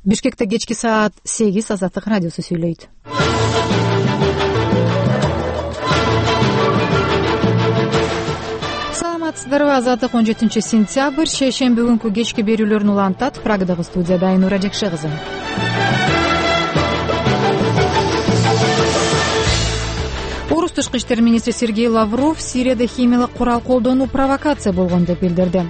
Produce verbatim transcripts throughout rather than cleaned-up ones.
Бишкекте кечки саат сегиз Азаттык радиосу сүйлөйт. Саламатсыздарбы? Азаттык он жетинчи сентябрь шейшемби күнкү кечки берүүлөрүн улантат. Прагадагы студияда Айнура Жекше кызы. Орус тышкы иштер министри Сергей Лавров Сирияда химиялык курал колдонуу провокация болгон деп билдирди.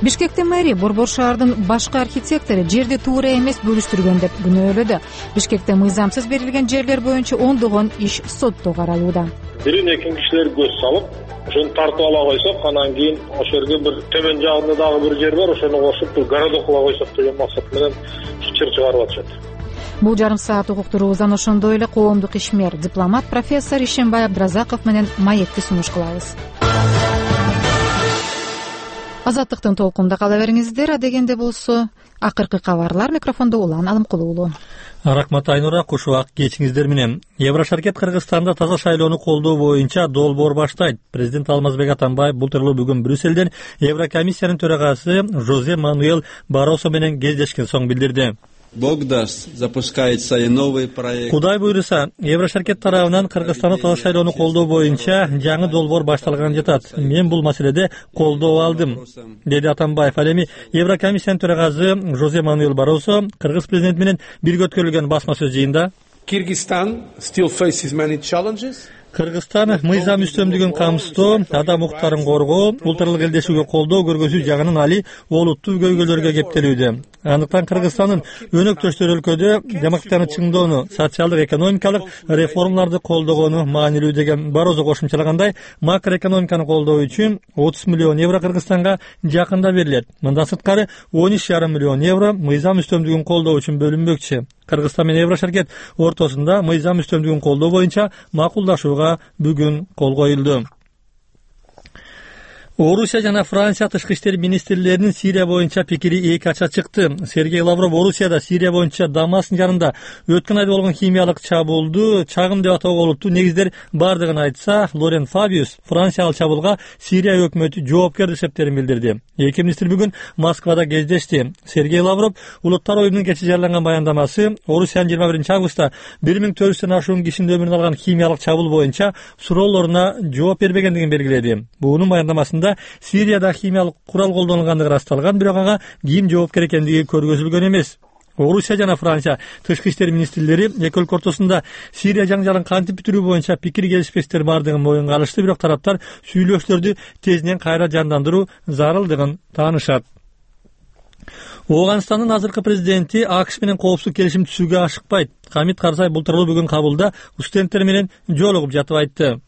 Бишкектин мэри Борбор шаардын башкы архитектору жерди туура эмес бөлүштүргөн деп күнөөлөдү. Бишкекте мыйзамсыз берилген жерлер боюнча ондогон иш сотто каралууда. Бирин экин кишилер көз салып, ошону тартып ала койсок, анан кийин ошол жерге бир төмөн жагында дагы бир жер бар, ошону кошуп бир городок кыла койсок деген максат менен чыр чыгарып атышат. Бул жарым саат угуктуруубуздан ошондой эле коомдук ишмер, дипломат профессор Ишембай Абдразаков менен маекти сунуш кылабыз. Азаттыктын толкунда кала бериңиздер. Адегенде болсо акыркы кабарлар. Микрофондо Улан Алымкулуу уулу. Рахмат Айнура, куш убак кечиңиздер менен. Еврошаркет Кыргызстанда таза шайлоону колдоо боюнча долбоор баштайт. Президент Алмазбек Атамбаев бул тууралуу бүгүн Брюссельден Еврокомиссиянын төрагасы Жозе Мануэл Баросо менен кездешкен соң билдирди. Бог даст, запускается и новый проект. Кудай буйруса, Еврошаркет тарабынан Кыргызстанда таза шайлоону колдоо боюнча жаңы долбоор башталган жатат. Мен бул маселеде колдоо алдым, деди Атамбаев. Ал эми Еврокомиссиянын төрагасы Жозе Мануэл Баросо Кыргыз президенти менен бирге өткөрүлгөн басма сөз жыйында Кыргызстан still faces many challenges. Кыргызстан мыйзам үстөмдүгүн камсыздоо, адам укуктарын коргоо, улуттаралык элдешүүгө колдоо көргөзүү жагынан али олуттуу көйгөйлөргө кептелүүдө. Андыктан Кыргызстандын өнөктөштөр өлкөдө демократияны чыңдоону, социалдык экономикалык реформаларды колдогону маанилүү деген Барозо кошумчалагандай, макроэкономиканы колдоо үчүн отуз миллион евро Кыргызстанга жакында берилет. Мындан сырткары он үч жарым миллион евро мыйзам үстөмдүгүн колдоо үчүн бөлүнмөкчү. Кыргызстан менен Еврошаркет ортосунда мыйзам үстөмдүгүн колдоо боюнча макулдашууга бүгүн кол коюлду. Орусия жана Франция тышкы иштер министрлеринин Сирия боюнча пикири эки ача чыкты. Сергей Лавров Орусияда Сирия боюнча Дамаск жарында өткөн айда болгон химиялык чабуулду чагым деп атоого олуттуу негиздер бардыгын айтса, Лорен Фабиус Франция ал чабуулга Сирия өкмөтү жоопкер эсептерин билдирди. Эки министр бүгүн Москвада кездешти. Сергей Лавров Улуттар оюнунун кечээ жарыяланган баяндамасы Орусиянын жыйырма биринчи августта бир миң төрт жүздөн ашуун кишинин өмүрүн алган химиялык чабуул боюнча суроолоруна жооп бербегендигин белгиледи. Буунун баяндамасында Сирияда химиялык курал колдонулгандыгы ырасталган, бирок ага ким жоопкер экендиги көргөзүлгөн эмес. Орусия жана Франция тышкы иштер министрлери эки өлкө ортосунда Сирия жаңжалын кантип бүтүрүү боюнча пикир келишпестер бардыгын моюнга алышты, бирок тараптар сүйлөшүүлөрдү тезинен кайра жандандыруу зарылдыгын таанышат. Ооганстандын азыркы президенти АКШ менен коопсуздук келишим түзүүгө ашыкпайт. Хамид Карзай бул тууралуу бүгүн кабулда студенттер менен жолугуп жатып айтты.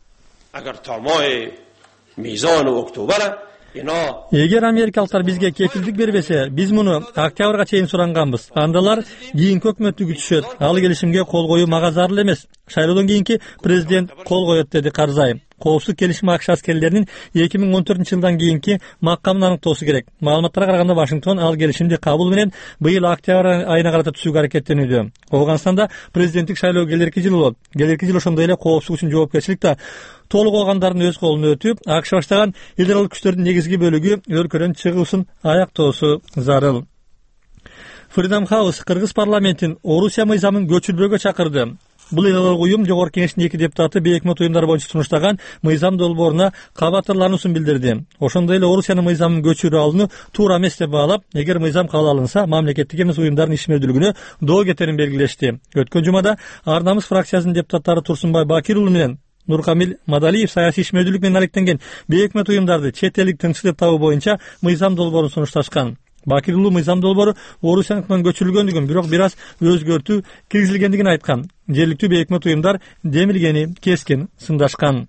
Эгер америкалыктар бизге кепилдик бербесе, биз муну октябрга чейин суранганбыз. Андалар кийинки өкмөттү күтүшөт. Ал келишимге кол коюу мага зарыл эмес. Шайлоодон кийинки президент кол коет, деди Карзай. Коопсуздук келишим АКШ аскерлеринин эки миң он төртүнчү жылдан кийинки макамын аныктоосу керек. Маалыматтарга караганда Вашингтон ал келишимди кабыл менен быйыл октябрь айына карата түзүүгө аракеттенүүдө. Ооганстанда президенттик шайлоо келерки жыл болот. Келерки жыл ошондой эле коопсуздук үчүн жоопкерчилик да толук алгандардын өз колуна өтүп, АКШ баштаган эл аралык күчтөрдүн негизги бөлүгү өлкөдөн чыгуусун аяктоосу зарыл. Freedom House Кыргыз парламентин Орусия мыйзамын көчүрбөөгө чакырды. Бул эл аралык уюм жогорку кеңештин эки депутаты бейөкмөт уюмдар боюнча сунуштаган мыйзам долбооруна кабатырлануусун билдирди. Ошондой эле Орусиянын мыйзамын көчүрүп алууну туура эмес деп баалап, эгер мыйзам кабыл алынса, мамлекеттик эмес уюмдардын ишмердүүлүгүнө доо кетерин белгилешти. Өткөн жумада Ар намыс фракциясынын депутаттары Турсунбай Бакир уулу менен Нуркамил Мадалиев саясий ишмердүүлүк менен алектенген бейөкмөт уюмдарды чет элдик тынчсыз деп табуу боюнча мыйзам долбоорун сунушташкан. Бакир уулу мыйзам долбоору Орусияныкынан көчүрүлгөндүгүн, бирок бир аз өзгөртүү киргизилгендигин айткан. Жергиликтүү бейөкмөт уюмдар демилгени кескин сындашкан.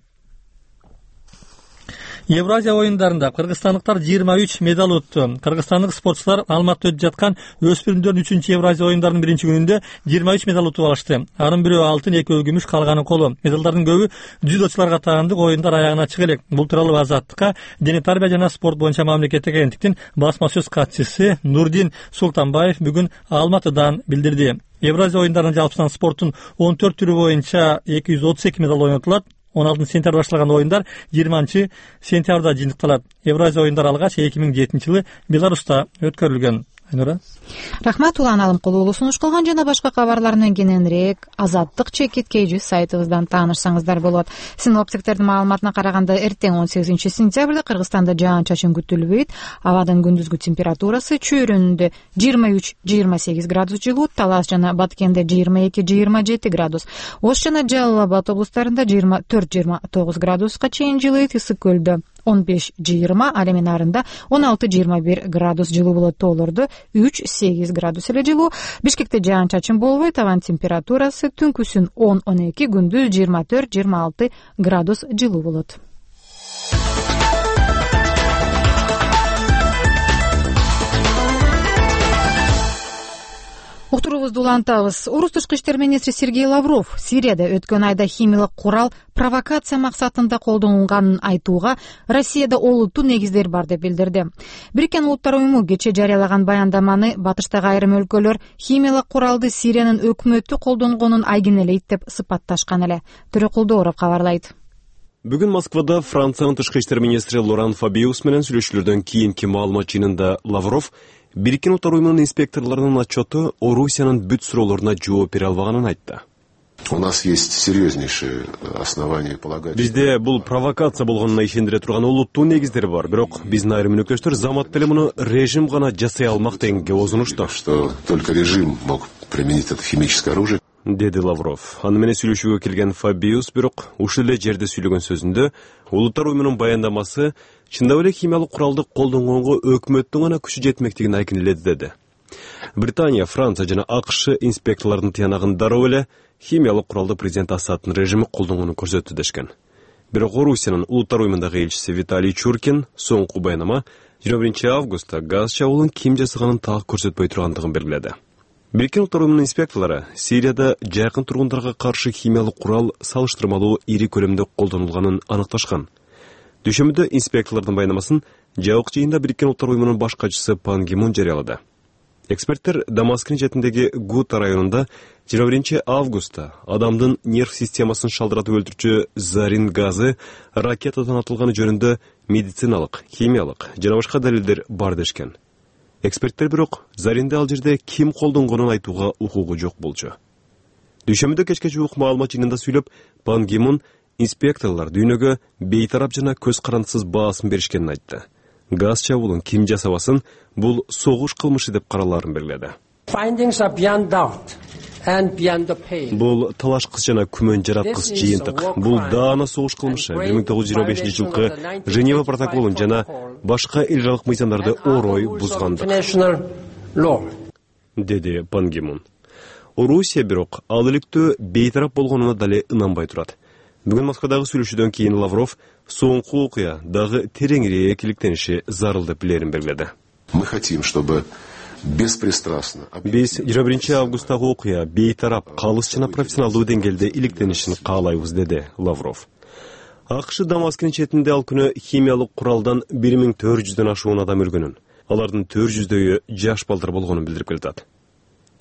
Евразия оюндарында кыргызстандыктар жыйырма үч медаль утту. Кыргызстандык спортчулар Алматыда өтүп жаткан өспүрүмдөрдүн үчүнчү Евразия оюндарынын биринчи күнүндө жыйырма үч медаль утуп алышты. Анын бирөө алтын, экөө күмүш, калганы коло. Медалдардын көбү дзюдочуларга таандык. Оюндар аягына чыга элек. Бул тууралуу Азаттыкка дене тарбия жана спорт боюнча мамлекеттик агенттиктин басма сөз катчысы Нурдин Султанбаев бүгүн Алматыдан билдирди. Евразия оюндарынын жалпысынан спорттун он төрт түрү боюнча эки жүз отуз эки медаль ойнотулат. он алтынчы сентябрда башталган оюндар жыйырманчы сентябрда жыйынтыкталат. Евразия оюндары алгач эки миң жетинчи жылы Беларуста өткөрүлгөн. Айнура. Рахмат, Улан Алымкулуу. Улуу сунуш кылган жана башка кабарларынан кененирээк азаттык чекит kg сайтыбыздан таанышсаңыздар болот. Синоптиктердин маалыматына караганда эртең он сегизинчи сентябрда Кыргызстанда жаан-чачын күтүлбөйт. Абадын күндүзгү температурасы чөйрөнүндө жыйырма үч жыйырма сегиз градус жылуу, Талас жана Баткенде жыйырма эки жыйырма жети градус, Ош жана Жалал Абад облустарында жыйырма төрт жыйырма тогуз градуска чейин жылыйт, Ысык көлдө он беш жыйырма, ал эми нарында он алты жыйырма бир градус жылуу болот, тоолордо үч сегиз градус эле жылуу. Бишкекте жаан-чачын болбойт, абанын температурасы түнкүсүн он он эки, күндүз жыйырма төрт жыйырма алты градус жылуу болот. Уктуруубузду улантабыз. Орус тышкы иштер министри Сергей Лавров Сирияда өткөн айда химиялык курал провокация максатында колдонулганын айтууга Россияда олуттуу негиздер бар деп билдирди. Бириккен Улуттар уюму кечээ жарыялаган баяндаманы батыштагы айрым өлкөлөр химиялык куралды Сириянын өкмөтү колдонгонун айгинелейт деп сыпатташкан эле. Төрөкулдууров кабарлайт. Бүгүн Москвада Франциянын тышкы иштер министри Лоран Фабиус менен сүйлөшүүлөрдөн кийинки маалымат жыйынында Лавров Бириккен Улуттар уюмунун инспекторлорунун отчету Орусиянын бүт суроолоруна жооп бере албаганын айтты. У нас есть серьезнейшие основания полагать. Бизде бул провокация болгонуна ишендире турган олуттуу негиздер бар, бирок биздин айрым өнөктөштөр замат деле муну режим гана жасай алмак дегенге озунушту. Что только режим мог применить это химическое оружие. Деди Лавров. Аны менен сүйлөшүүгө келген Фабиус бирок ушул эле жерде сүйлөгөн сөзүндө Улуттар уюмунун баяндамасы чындап эле химиялык куралды колдонгонго өкмөттүн гана күчү жетмектигин айкинеледи деди. Британия, Франция жана АКШ инспекторлордун тыянагын дароо эле химиялык куралды президент Асаддын режими колдонгонун көрсөттү дешкен. Бирок Орусиянын Улуттар уюмундагы элчиси Виталий Чуркин соңку баяндама жыйырма биринчи августта газ чабуулун ким жасаганын так көрсөтпөй тургандыгын белгиледи. Бириккен Улуттар уюмунун инспекторлору Сирияда жакын тургундарга каршы химиялык курал салыштырмалуу ири көлөмдө колдонулганын аныкташкан. Дүйшөмбүдө инспекторлордун баяндамасын жабык жыйында Бириккен Улуттар уюмунун баш катчысы Пан Ги Мун жарыялады. Эксперттер Дамаскын четиндеги Гута районунда жыйырма биринчи августта адамдын нерв системасын шалдыратып өлтүрчү зарин газы ракетадан атылганы жөнүндө медициналык, химиялык жана башка далилдер бар дешкен. Эксперттер бирок заринди ал жерде ким колдонгонун айтууга укугу жок болчу. Дүйшөмбүдө кечке жуук маалымат жыйынында сүйлөп, Пан Ги Мун инспекторлор дүйнөгө бейтарап жана көз карандысыз баасын беришкенин айтты. Газ чабуулун ким жасабасын, бул согуш кылмышы деп каралаарын белгиледи. Бул талашкыс жана күмөн жараткыс жыйынтык. Бул даана согуш кылмышы бир миң тогуз жүз жыйырма бешинчи жылкы Женева протоколун жана башка эл аралык мыйзамдарды орой бузгандык, деди Пан Ги Мун. Орусия бирок ал иликтөө бейтарап болгонуна дале ынанбай турат. Бүгүн Москвадагы сүйлөшүүдөн кийин Лавров соңку окуя дагы тереңирээк иликтениши зарыл деп билерин белгиледи. Мы хотим, чтобы беспристрастно. Биз жыйырма биринчи августтагы окуя бейтарап, калыс жана профессионалдуу деңгээлде иликтенишин каалайбыз, деди Лавров. АКШ Дамаскын четинде ал күнү химиялык куралдан бир миң төрт жүздөн ашуун адам өлгөнүн, алардын төрт жүздөйү жаш балдар болгонун билдирип келатат.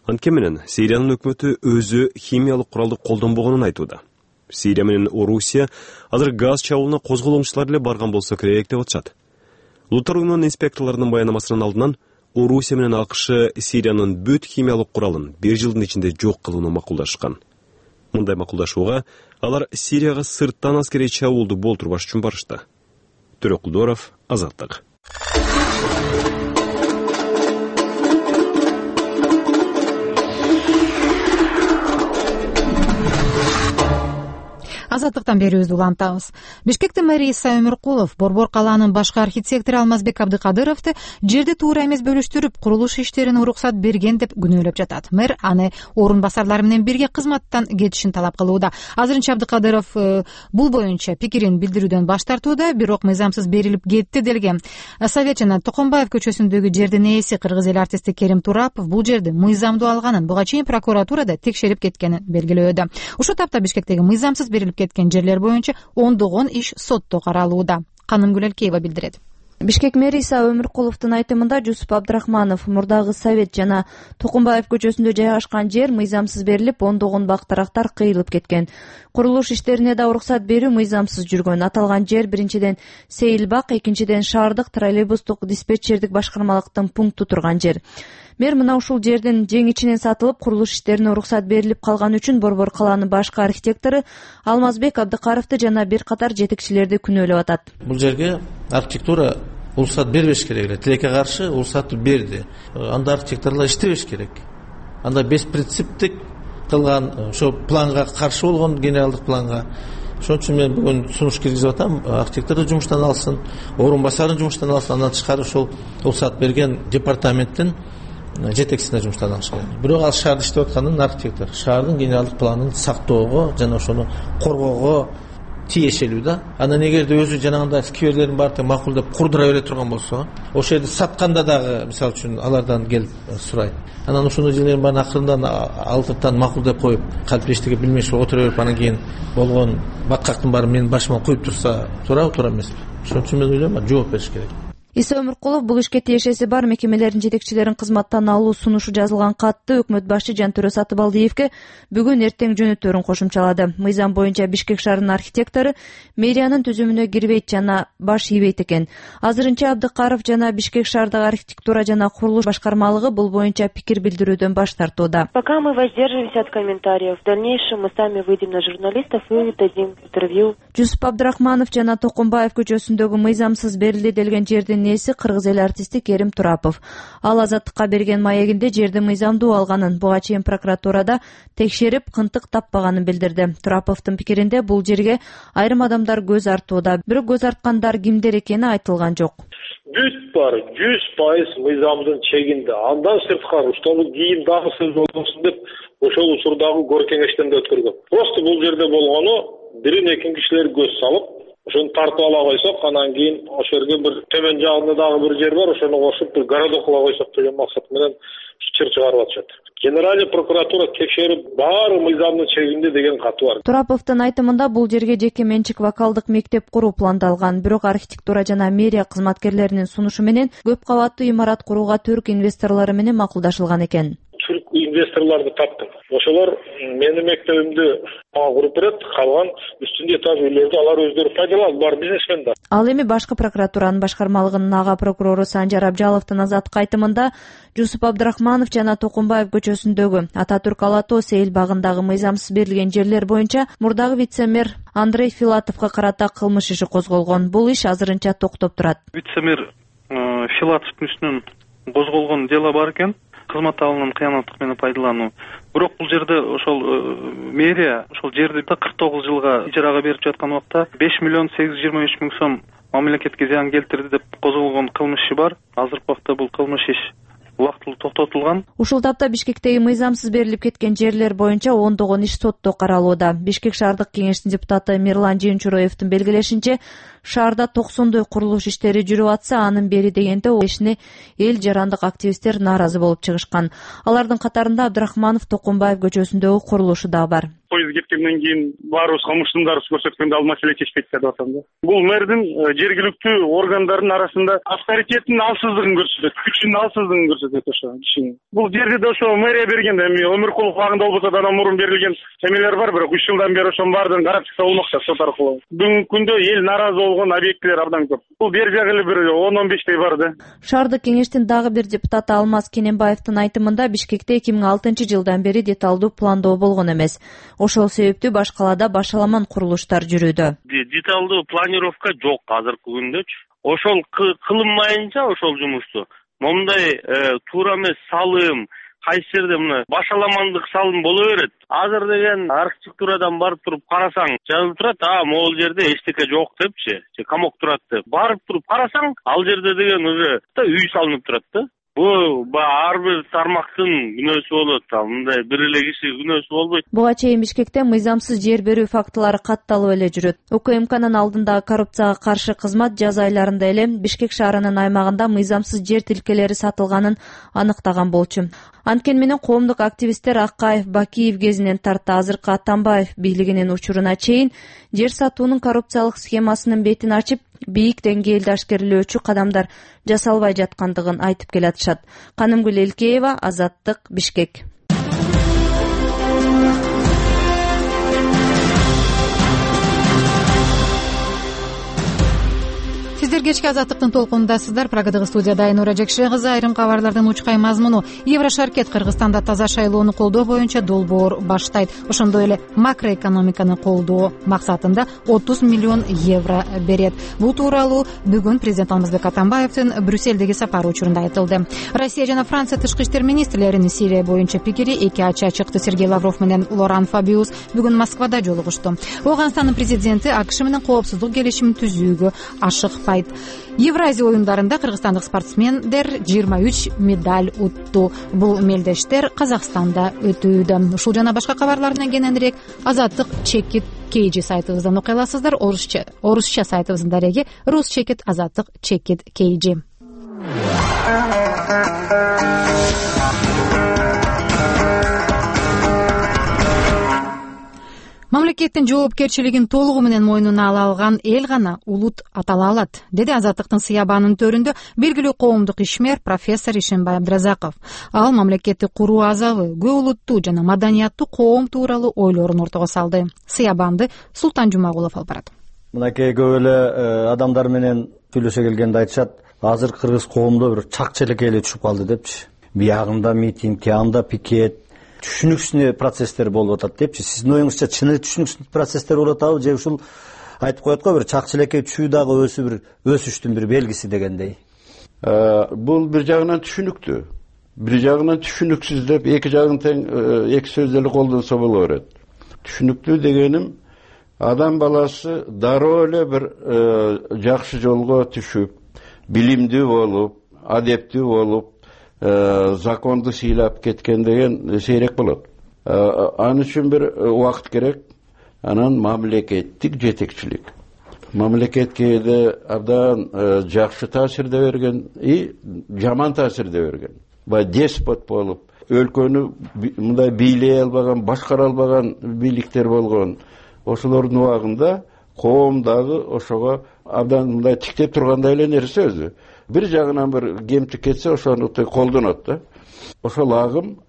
Анткени менен Сириянын өкмөтү өзү химиялык куралды колдонбогонун айтууда. Сирия менен Орусия азыр газ чабуулуна козголоңчулар эле барган болсо керек деп атышат. Улуттар уюмунун инспекторлорунун баяндамасынын алдынан Орусия менен АКШ Сириянын бүт химиялык куралын бир жылдын ичинде жок кылууну макулдашкан. Мындай макулдашууга алар Сирияга сырттан аскерий чабуулду болтурбаш үчүн барышты. Төрөкулдууров, Азаттык. Азаттыктан берүүбүздү улантабыз. Бишкектин мэри Иса Өмүркулов Борбор калаанын башкы архитектору Алмазбек Абдыкадыровду жерди туура эмес бөлүштүрүп, курулуш иштерине уруксат берген деп күнөөлөп жатат. Мэр аны орун басарлары менен бирге кызматтан кетишин талап кылууда. Азырынча Абдыкадыров бул боюнча пикирин билдирүүдөн баш тартууда, бирок мыйзамсыз берилип кетти делген. Совет жана Токомбаев көчөсүндөгү жердин ээси кыргыз эл артисти Керим Турапов бул жерди мыйзамдуу алганын, буга чейин прокуратурада текшерип кеткенин белгилөөдө. Ушул тапта Бишкектеги мыйзамсыз берилип кеткен жерлер боюнча ондогон иш сотто каралууда. Канымгүл Элкеева билдирет. Бишкек мэри Иса Өмүркуловдун айтымында Жусуп Абдрахманов мурдагы Совет жана Токумбаев көчөсүндө жайгашкан жер мыйзамсыз берилип, ондогон бактарактар кыйылып кеткен. Курулуш иштерине да уруксат берүү мыйзамсыз жүргөн. Аталган жер биринчиден Сейилбак, экинчиден шаардык троллейбустук диспетчердик башкармалыктын пункту турган жер. Мэр мына ушул жердин жең ичинен сатылып, курулуш иштерине уруксат берилип калган үчүн Борбор калаанын башкы архитектору Алмазбек Абдыкаровду жана бир катар жетекчилерди күнөөлөп атат. Бул жерге архитектура уруксат бербеш керек эле. Тилекке каршы уруксатты берди. Анда архитекторлор иштебеш керек. Анда беспринциптик кылган, ошо планга каршы болгон, генералдык планга. Ошон үчүн мен бүгүн сунуш киргизип атам, архитекторду жумуштан алсын, орун басарын жумуштан алсын, андан тышкары ошол уруксат берген департаменттин жетекчисине жумуштан алыш керек. Бирок ал шаарда иштеп атканын архитектор шаардын генералдык планын сактоого жана ошону коргоого тиешелүү да. Анан эгерде өзү жанагындай скверлердин баардыгын макулдап курдура бере турган болсо, ошол жерди сатканда дагы мисалы үчүн алардан келип сурайт. Анан ошондой жерлердин баарын акырындан алтыртан макулдап коюп, калп эчтеке билмей ошо отура берип, анан кийин болгон баткактын баарын менин башыма коюп турса, туурабы, туура эмеспи? Ошон үчүн мен ойлойм, жооп бериш керек. Иса Өмүркулов бул ишке тиешеси бар мекемелердин жетекчилерин кызматтан алуу сунушу жазылган катты өкмөт башчы Жантөрө Сатыбалдиевке бүгүн эртең жөнөтөөрүн кошумчалады. Мыйзам боюнча Бишкек шаарынын архитектору мэриянын түзүмүнө кирбейт жана баш ийбейт экен. Азырынча Абдыкаров жана Бишкек шаардык архитектура жана курулуш башкармалыгы бул боюнча пикир билдирүүдөн баш тартууда. Пока мы воздерживаемся от комментариев, в дальнейшем мы сами выйдем на журналистов и дадим интервью. Жусуп Абдрахманов жана Токумбаев көчөсүндөгү мыйзамсыз берилди делген жердин ээси кыргыз эл артисти Керим Турапов. Ал Азаттыкка берген маегинде жерди мыйзамдуу алганын, буга чейин прокуратурада текшерип, кынтык таппаганын билдирди. Тураповдун пикиринде бул жерге айрым адамдар көз артууда, бирок көз арткандар кимдер экени айтылган жок. Бүт бар жүз пайыз мыйзамдын чегинде. Андан сырткары ошол кийин дагы сөз болбосун деп ошол учурдагы кор кеңештен да өткөргөн. Просто бул жерде болгону бирин экин кишилер көз салып, ошону тартып ала койсок, анан кийин ошол жерге бир төмөн жагында дагы бир жер бар, ошону кошуп бир городок кыла койсок деген максат менен чыр чыгарып атышат. Генеральный прокуратура текшерип, баары мыйзамдын чегинде деген каты бар. Тураповдун айтымында бул жерге жеке менчик вокалдык мектеп куруу пландалган, бирок архитектура жана мэрия кызматкерлеринин сунушу менен көп кабаттуу имарат курууга түрк инвесторлору менен макулдашылган экен. Түрк инвесторлорду таптым. Ошолор менин мектебимди мага куруп берет, калган үстүндө этаж үйлөрдү алар өздөрү пайдаланып, бар бизнесмен да. Ал эми башкы прокуратуранын башкармалыгынын ага прокурору Санжар Абжаловдун Азаттыкка айтымында Жусуп Абдрахманов жана Токумбаев көчөсүндөгү Ататүрк Ала Тоо Сейил багындагы мыйзамсыз берилген жерлер боюнча мурдагы вице-мэр Андрей Филатовго карата кылмыш иши козголгон. Бул иш азырынча токтоп турат. Вице-мэр Филатовдун үстүнөн козголгон дело бар экен. Кызмат алынын кыянаттык менен пайдалануу. Бирок бул жерде ошол мэрия ошол жерди кырк тогуз жылга ижарага берип жаткан убакта беш миллион сегиз жүз жыйырма үч миң сом мамлекетке зыян келтирди деп козголгон кылмыш иши бар. Азыркы убакта бул кылмыш иш убактылуу токтотулган. Ушул тапта Бишкектеги мыйзамсыз берилип кеткен жерлер боюнча ондогон иш сотто каралууда. Бишкек шаардык кеңештин депутаты Мирлан Жыйынчуроевдун белгилешинче, шаарда токсондой курулуш иштери жүрүп атса, анын бери дегенде ол ишине эл жарандык активисттер нааразы болуп чыгышкан. Алардын катарында Абдрахманов Токумбаев көчөсүндөгү курулушу да бар. Поезд кеткенден кийин баарыбыз кылмыштыңдарыбыз көрсөткөндө ал маселе чечпейт деп атам да. Бул мэрдин жергиликтүү органдардын арасында авторитетинин алсыздыгын көрсөтөт, күчүнүн алсыздыгын көрсөтөт ошо кишинин. Бул жерди да ошо мэрия берген да, эми Өмүркулов багында болбосо да андан мурун берилген эмелер бар, бирок үч жылдан бери ошонун баардыгын карап чыкса болмок да сот аркылуу. Бүгүнкү күндө эл нааразы болгон объектилер абдан көп. Бул бер жагы эле бир он он бештей бар да. Шаардык кеңештин дагы бир депутаты Алмаз Кененбаевдин айтымында Бишкекте эки миң алтынчы жылдан бери деталдуу пландоо болгон эмес. Ошол себептүү баш калаада башаламан курулуштар жүрүүдө. Деталдуу планировка жок азыркы күндөчү. Ошол кылынмайынча ошол жумушту момундай туура эмес салым, кайсы жерде мына башаламандык салым боло берет. Азыр деген архитектурадан барып туруп карасаң, жазылып турат, а могул жерде эчтеке жок депчи, же камок турат деп. Барып туруп карасаң, ал жерде деген уже үй салынып турат да. Бул ар бир тармактын күнөөсү болот, мындай бир эле киши күнөөсү болбойт. Буга чейин Бишкекте мыйзамсыз жер берүү фактылары катталып эле жүрөт. УКМКнын алдындагы коррупцияга каршы кызмат жаз айларында эле Бишкек шаарынын аймагында мыйзамсыз жер тилкелери сатылганын аныктаган болчу. Анткени менен коомдук активисттер Акаев, Бакиев кезинен тарта азыркы Атамбаев бийлигинин учуруна чейин жер сатуунун коррупциялык схемасынын бетин ачып, бийик деңгээлде ашкерелөөчү кадамдар жасалбай жаткандыгын айтып келатышат. Канымгүл Элкеева, Азаттык, Бишкек. Сиздер кечки Азаттыктын толкунундасыздар. Прагадагы студияда Айнура Жекше кызы. Айрым кабарлардын учкай мазмуну: Еврошаркет Кыргызстанда таза шайлоону колдоо боюнча долбоор баштайт. Ошондой эле макроэкономиканы колдоо максатында отуз миллион евро берет. Бул тууралуу бүгүн президент Алмазбек Атамбаевдин Брюссельдеги сапары учурунда айтылды. Россия жана Франция тышкы иштер министрлеринин Сирия боюнча пикири эки ача чыкты. Сергей Лавров менен Лоран Фабиус бүгүн Москвада жолугушту. Ооганстандын президенти АКШ менен коопсуздук келишимин түзүүгө ашыкпайт. Евразия оюндарында кыргызстандык спортсмендер жыйырма үч медаль утту. Бул мелдештер Казакстанда өтүүдө. Ушул жана башка кабарлардан кененирээк Азаттык чекит кейжи сайтыбыздан окуй аласыздар. Орусча орусча сайтыбыздын дареги Рус чекит Азаттык чекит кейжи. Мамлекеттин жоопкерчилигин толугу менен мойнуна ала алган эл гана улут атала алат, деди Азаттыктын сыябанын төрүндө белгилүү коомдук ишмер профессор Ишенбай Абдразаков. Ал мамлекетти куруу азабы, көп улуттуу жана маданияттуу коом тууралуу ойлорун ортого салды. Сыябанды Султан Жумагулов алып барат. Мынакей көп эле адамдар менен сүйлөшө келгенде айтышат, азыр кыргыз коомдо бир чакчелекке эле түшүп калды депчи. Биягында митинг, тиягында пикет, түшүнүксүз процесстер болуп атат депчи. Сиздин оюңузча чыны түшүнүксүз процесстер болуп атабы же ушул айтып коет го бир чакчелекке түшүү дагы өсүү бир өсүштүн бир белгиси дегендей? Бул бир жагынан түшүнүктүү, бир жагынан түшүнүксүз деп эки жагын тең эки сөз эле колдонсо боло берет. Түшүнүктүү дегеним адам баласы дароо эле бир жакшы жолго түшүп, билимдүү болуп, адептүү болуп, законду сыйлап кеткен деген сейрек болот. Ал үчүн бир убакыт керек. Анан мамлекеттик жетекчилик. Мамлекет кээде абдан жакшы таасирде берген и жаман таасирде берген. Бай деспот болуп, өлкөнү мындай бийлей албаган, башкара албаган бийликтер болгон. Ошолордун убагында коом дагы ошого абдан мындай тиктеп тургандай эле нерсе өзү. Бир жагынан бир кемтик кетсе ошону колдонот да. Ошол агым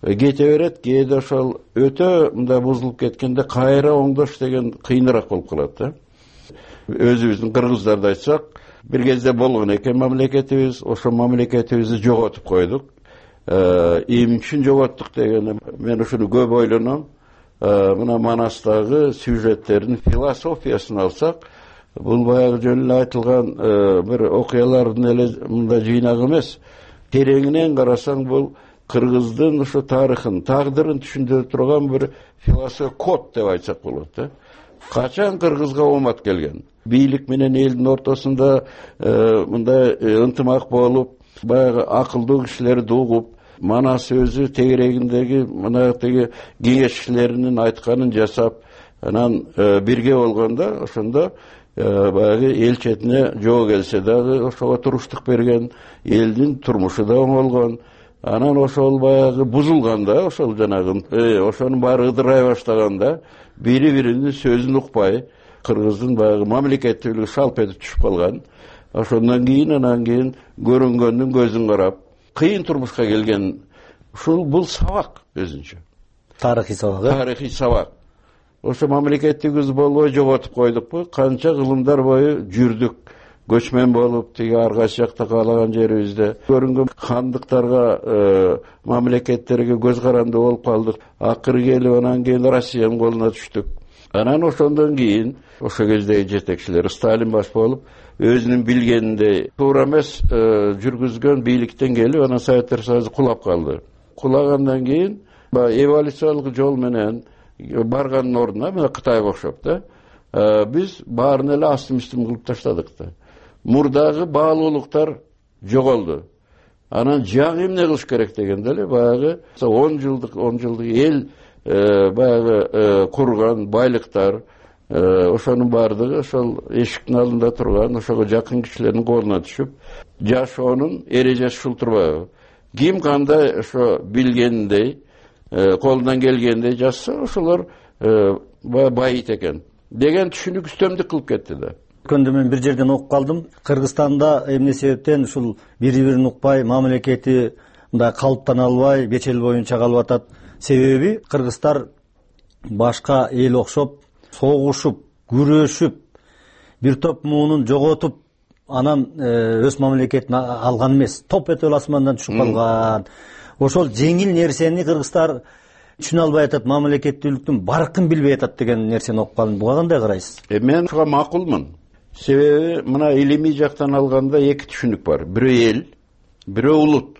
кете берет, кээде ошол өтө мындай бузулуп кеткенде кайра оңдош деген кыйыныраак болуп калат да. Өзүбүздүн кыргыздарды айтсак, бир кезде болгон экен мамлекетибиз, ошол мамлекетибизди жоготуп койдук. Эмне үчүн жоготтук деген мен ушуну көп ойлоном. Мына Манастагы сюжеттердин философиясын алсак, бул баягы жөн эле айтылган бир окуялардын эле мындай жыйнагы эмес. Тереңинен карасаң, бул кыргыздын ошо тарыхын, тагдырын түшүндүрө турган бир философия код деп айтсак болот да. Качан кыргызга оомат келген? Бийлик менен элдин ортосунда мындай ынтымак болуп, баягы акылдуу кишилерди угуп, Манас өзү тегерегиндеги мына теги кеңешчилеринин айтканын жасап, анан бирге болгондо ошондо баягы эл четине жоо келсе дагы ошого туруштук берген, элдин турмушу да оңолгон. Анан ошол баягы бузулганда, ошол жанагы ошонун баары ыдырай баштаганда, бири-биринин сөзүн укпай, кыргыздын баягы мамлекеттүүлүгү шалп этип түшүп калган. Ошондон кийин анан кийин көрүнгөндүн көзүн карап, кыйын турмушка келген. Ушул бул сабак өзүнчө. Тарыхый сабак. Тарыхый сабак. Ошо мамлекеттигибиз болбой жоготуп койдукпу? Канча кылымдар бою жүрдүк. Көчмөн болуп, тиги ар кайсы жакта каалаган жерибизде көрүнгөн хандыктарга, мамлекеттерге көз каранды болуп калдык. Акыры келип анан кийин Россиянын колуна түштүк. Анан ошондон кийин ошо кездеги жетекчилер Сталин баш болуп, өзүнүн билгениндей туура эмес жүргүзгөн бийликтен келип, анан Советтер Союзу кулап калды. Кулагандан кийин эволюциялык жол менен барганын ордуна, мына Кытайга окшоп да, биз баарын эле астым-үстүм кылып таштадык да. Мурдагы баалуулуктар жоголду. Анан жаңы эмне кылыш керек дегенде эле баягы он жылдык он жылдык эл баягы курган байлыктар, ошонун баардыгы ошол эшиктин алдында турган ошого жакын кишилердин колуна түшүп, жашоонун эрежеси ушул турбайбы? ким кандай ошо билгендей, колунан келгендей жазса, ошолор байыйт экен деген түшүнүк үстөмдүк кылып кетти да. Өткөндө мен бир жерден окуп калдым. Кыргызстанда эмне себептен ушул бири бирин укпай, мамлекети мындай калыптана албай, беш эл боюнча калып атат. Себеби кыргыздар башка эл окшоп, согушуп, күрөшүп, бир топ муунун жоготуп, анан өз мамлекетин алган эмес. Топ этеп асмандан түшүп калган. Ошол жеңил нерсени кыргыздар түшүнө албай атат, мамлекеттүүлүктүн баркын билбей атат деген нерсени окуп калдым. Буга кандай карайсыз? Мен ушуга макулмун. Себеби мына илимий жактан алганда эки түшүнүк бар. Бирөө эл, бирөө улут.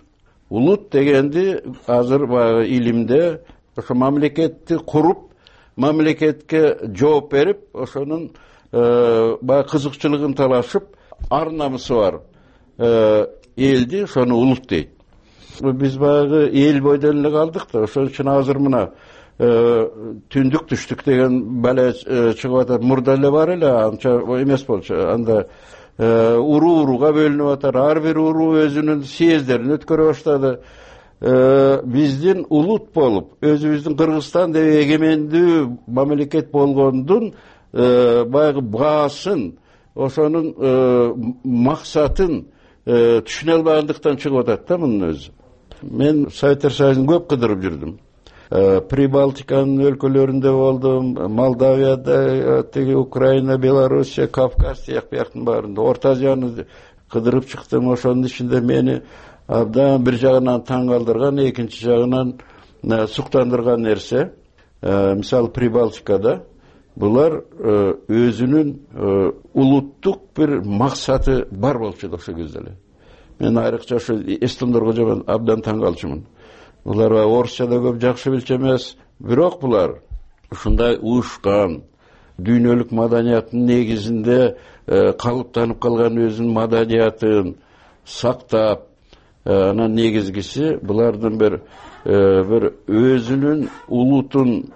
Улут дегенди азыр баягы илимде ошо мамлекетти куруп, мамлекетке жооп берип, ошонун баягы кызыкчылыгын талашып, ар намысы бар элди ошону улут дейт. Биз баягы эл бойдон эле калдык да, ошон үчүн азыр мына түндүк түштүк деген бала чыгып атат. Мурда эле бар эле, анча эмес болчу. Анда уруу-урууга бөлүнүп атат. Ар бир уруу өзүнүн съездерин өткөрө баштады. Биздин улут болуп, өзүбүздүн Кыргызстан деп эгемендүү мамлекет болгондун баягы баасын, ошонун максатын түшүнө албагандыктан чыгып атат да мунун өзү. Мен Советтер Союзун көп кыдырып жүрдүм. Прибалтиканын өлкөлөрүндө болдум, Молдавияда, теги Украина, Белоруссия, Кавказ тияк бияктын баарында, Орто Азияны кыдырып чыктым. Ошонун ичинде мени абдан бир жагынан таң калтырган, экинчи жагынан суктандырган нерсе, мисалы Прибалтикада булар өзүнүн улуттук бир максаты бар болчу ошо кезде эле. Мен айрыкча ошо эстондорго жаман абдан таң калчумун. Булар орусча да көп жакшы билчү эмес, бирок булар ушундай уушкан дүйнөлүк маданиятынын негизинде калыптанып калган өзүнүн маданиятын сактап, анан негизгиси булардын бир бир өзүнүн улутун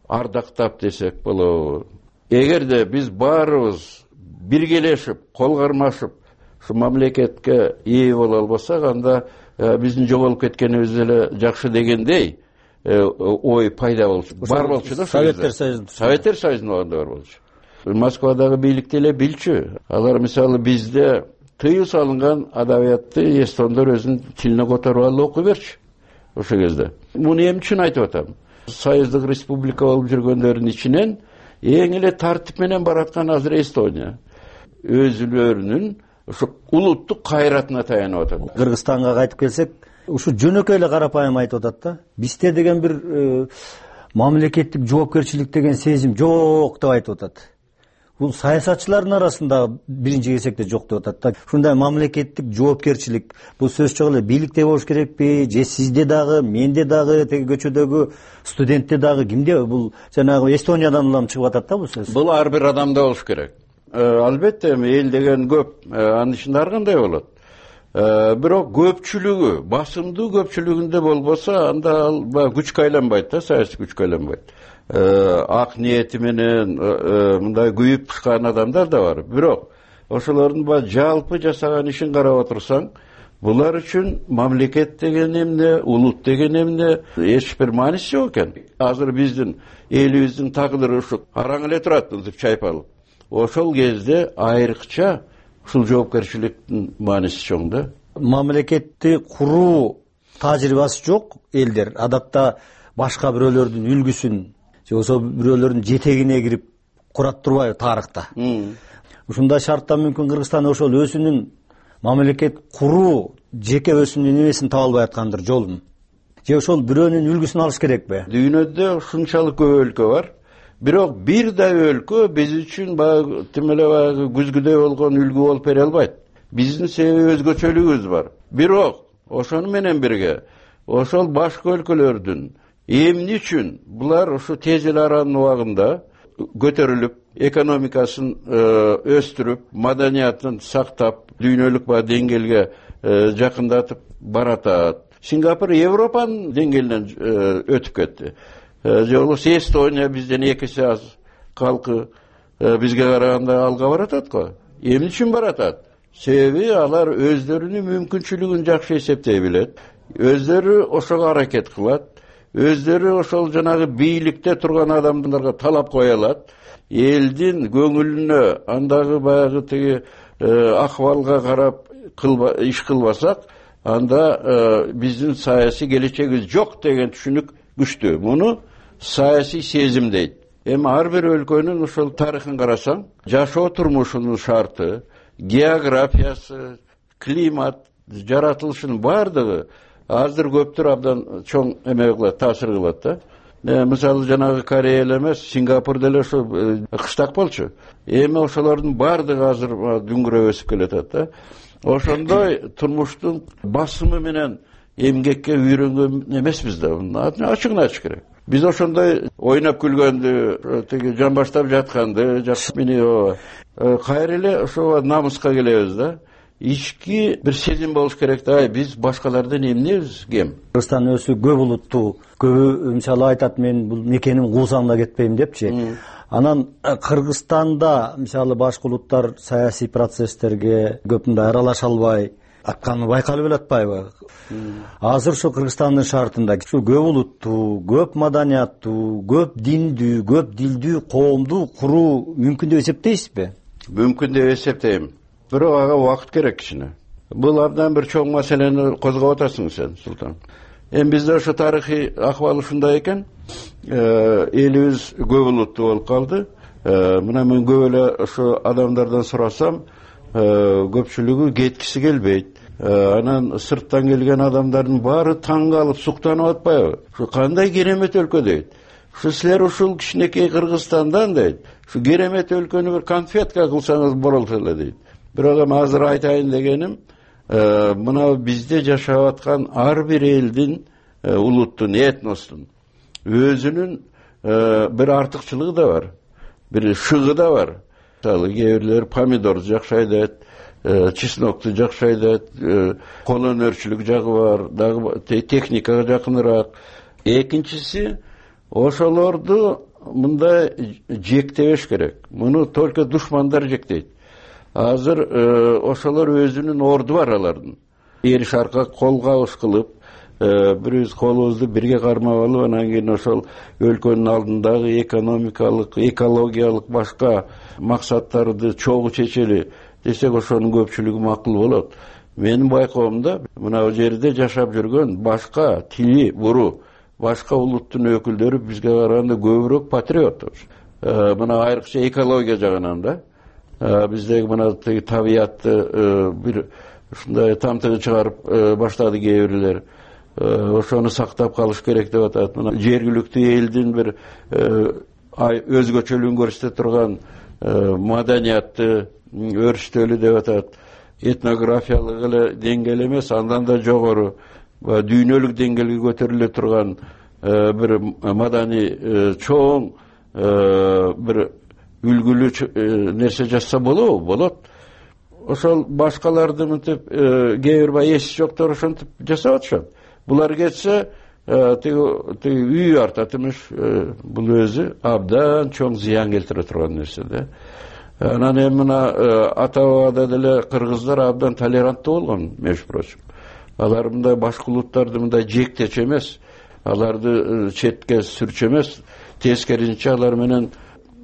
ардактап десек болобу. Эгерде биз баарыбыз биргелешип, кол кармашып ушу мамлекетке ээ боло албасак, анда биздин жоголуп кеткенибиз эле жакшы дегендей ой пайда болчу. Бар болчу да. Советтер Союзунун Советтер Союзунун убагында бар болчу. Москвадагы бийлик деле билчү. Алар мисалы бизде тыюу салынган адабиятты эстондор өзүнүн тилине которуп алып окуй берчү ошол кезде. Муну эмне үчүн айтып атам? Союздук республика болуп жүргөндөрдүн ичинен эң эле тартип менен бараткан азыр Эстония. Өзүлөрүнүн ушу улуттук кайратына таянып атат. Кыргызстанга кайтып келсек, ушу жөнөкөй эле карапайым айтып атат да. Бизде деген бир мамлекеттик жоопкерчилик деген сезим жок деп айтып атат. Бул саясатчылардын арасында биринчи кезекте жок деп атат да. Ушундай мамлекеттик жоопкерчилик бул сөз жок эле бийликте болуш керекпи, же сизде дагы, менде дагы, теги көчөдөгү студентте дагы, кимде? Бул жанагы Эстониядан улам чыгып атат да бул сөз. Бул ар бир адамда болуш керек. Албетте эл деген көп, анын ичинде ар кандай болот. Бирок көпчүлүгү, басымдуу көпчүлүгүндө болбосо, анда ал күчкө айланбайт да, саясий күчкө айланбайт. Ак ниети менен мындай күйүп пышкан адамдар да бар. Бирок ошолордун баа жалпы жасаган ишин карап отурсаң, булар үчүн мамлекет деген эмне, улут деген эмне эч бир мааниси жок экен. Азыр биздин элибиздин тагдыры ушу араң эле турат узуп чайпалып. Ошол кезде айрыкча ушул жоопкерчиликтин мааниси чоң да. Мамлекетти куруу тажрыйбасы жок элдер адатта башка бирөөлөрдүн үлгүсүн же болбосо бирөөлөрдүн жетегине кирип курат турбайбы тарыхта. Ушундай шартта мүмкүн Кыргызстан ошол өзүнүн мамлекет куруу жеке өзүнүн эмесин таба албай аткандыр, жолун. Же ошол бирөөнүн үлгүсүн алыш керекпи? Дүйнөдө ушунчалык көп өлкө бар. Бирок бир да өлкө биз үчүн баягы тим эле баягы күзгүдөй болгон үлгү болуп бере албайт. Биздин себеби өзгөчөлүгүбүз бар. Бирок ошону менен бирге ошол башка өлкөлөрдүн эмне үчүн булар ушу тез эле аранын убагында көтөрүлүп, экономикасын өстүрүп, маданиятын сактап, дүйнөлүк баягы деңгээлге жакындатып баратат. Сингапур Европанын деңгээлинен өтүп кетти. Же болбосо Эстония бизден эки эсе аз калкы бизге караганда алга баратат го. Эмне үчүн баратат? Себеби алар өздөрүнүн мүмкүнчүлүгүн жакшы эсептей билет. өздөрү ошого аракет кылат, өздөрү ошол жанагы бийликте турган адамдарга талап кое алат, элдин көңүлүнө андагы баягы тиги акыбалга карап иш кылбасак, анда биздин саясий келечегибиз жок деген түшүнүк күчтүү. Муну саясий сезим дейт. Эми ар бир өлкөнүн ошол тарыхын карасаң, жашоо турмушунун шарты, географиясы, климат, жаратылышынын баардыгы азыр көптөр абдан чоң эме кылат, таасир кылат да. Мисалы жанагы Корея эле эмес, Сингапур деле ошо кыштак болчу. Эми ошолордун баардыгы азыр дүңгүрөп өсүп келатат да. Ошондой турмуштун басымы менен эмгекке үйрөнгөн эмеспиз да. Ачыгын айтыш керек. Биз ошондой ойноп күлгөндү, тиги жан баштап жатканды, мени кайра эле ошо намыска келебиз да. Ички бир сезим болуш керек да. Биз башкалардан эмнебиз, кем? Кыргызстан өзү көп улуттуу, көбү мисалы айтат, мен бул мекеним куусам да кетпейм депчи. Анан Кыргызстанда мисалы башка улуттар саясий процесстерге көп мындай аралаша албай атканы байкалып элатпайбы? Азыр ушу Кыргызстандын шартында ушу көп улуттуу, көп маданияттуу, көп диндүү, көп дилдүү коомду куруу мүмкүн деп эсептейсизби? Мүмкүн деп эсептейм. Бирок ага убакыт керек кичине. Бул абдан бир чоң маселени козгоп атасың сен, Султан. Эми бизде ошо тарыхый акыбал ушундай экен. Элибиз көп улуттуу болуп калды. Мына мен көп эле ошо адамдардан сурасам, көпчүлүгү кеткиси келбейт. Анан сырттан келген адамдардын баары таң калып, суктанып атпайбы? Ушу кандай керемет өлкө дейт. Ушу силер ушул кичинекей Кыргызстандан дейт. Ушу керемет өлкөнү бир конфетка кылсаңыз болот эле дейт. Бирок эми азыр айтайын дегеним, мына бизде жашап аткан ар бир элдин, улуттун, этностун өзүнүн бир артыкчылыгы да бар, бир шыгы да бар. Мисалы, кээ бирлер помидорду жакшы айдайт, чеснокду жакшы айдайт, кол өнөрчүлүк жагы бар, дагы техникага жакыныраак. Экинчиси, ошолорду мындай жектебеш керек. Муну только душмандар жектейт. Азыр ошолор өзүнүн орду бар алардын. Эр шарка кол кабыш кылып, бирибиз колубузду бирге кармап алып, анан кийин ошол өлкөнүн алдындагы экономикалык, экологиялык башка максаттарды чогуу чечели десек, ошонун көпчүлүгү макул болот. Менин байкоомдо мына жерде жашап жүргөн башка тили буру, башка улуттун өкүлдөрү бизге караганда көбүрөөк патриот. Мына айрыкча экология жагынан да. Биздеги мына табиятты бир ушундай тамтыгы чыгарып баштады кээ бирлер. Ошону сактап калыш керек деп атат. Мына жергиликтүү элдин бир өзгөчөлүгүн көрсөтө турган маданиятты өрүштөлү деп атат. Этнографиялык эле деңгээл эмес, андан да жогору дүйнөлүк деңгээлге көтөрүлө турган бир маданий чоң бир үлгүлүү нерсе жасса болобу? Болот. Ошол башкаларды мынтип кээ бир бай эси жоктор ошентип жасап атышат. Булар кетсе, тиги үй артат эмес, бул өзү абдан чоң зыян келтире турган нерсе да. Анан эми мына ата бабада деле кыргыздар абдан толеранттуу болгон, между прочим. Алар мындай башка улуттарды мындай жектечү эмес, аларды четке сүрчү эмес, тескерисинче алар менен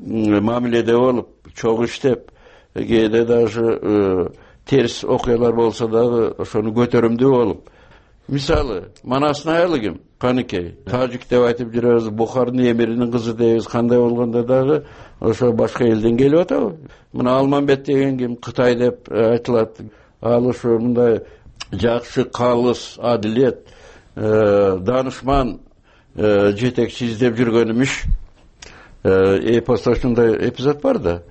мамиледе болуп, чогуу иштеп, кээде даже терс окуялар болсо дагы ошону көтөрүмдүү болуп. Мисалы, Манастын аялы ким? Каныкей. Тажик деп айтып жүрөбүз, Бухардын эмиринин кызы дейбиз, кандай болгондо дагы ошо башка элден келип атабы? Мына Алмамбет деген ким? Кытай деп айтылат. Ал ошо мындай жакшы, калыс, адилет, данышман жетекчи издеп жүргөн имиш. Эпоста ушундай эпизод бар да.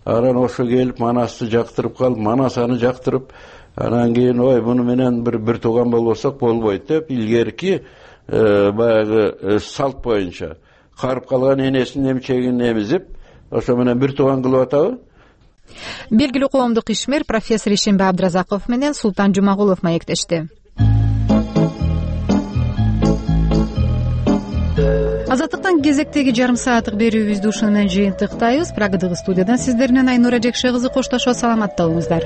Анан ошо келип Манасты жактырып калып, Манас аны жактырып, анан кийин ой муну менен бир бир тууган болбосок болбойт деп, илгерки баягы салт боюнча карып калган энесинин эмчегин эмизип, ошо менен бир тууган кылып атабы? Белгилүү коомдук ишмер профессор Ишембай Абдыразаков менен Султан Жумагулов маектешти. Азаттыктан кезектеги жарым сааттык берүүбүздү ушуну менен жыйынтыктайбыз. Прагадагы студиядан сиздер менен Айнура Жекше кызы коштошот. Саламатта болуңуздар.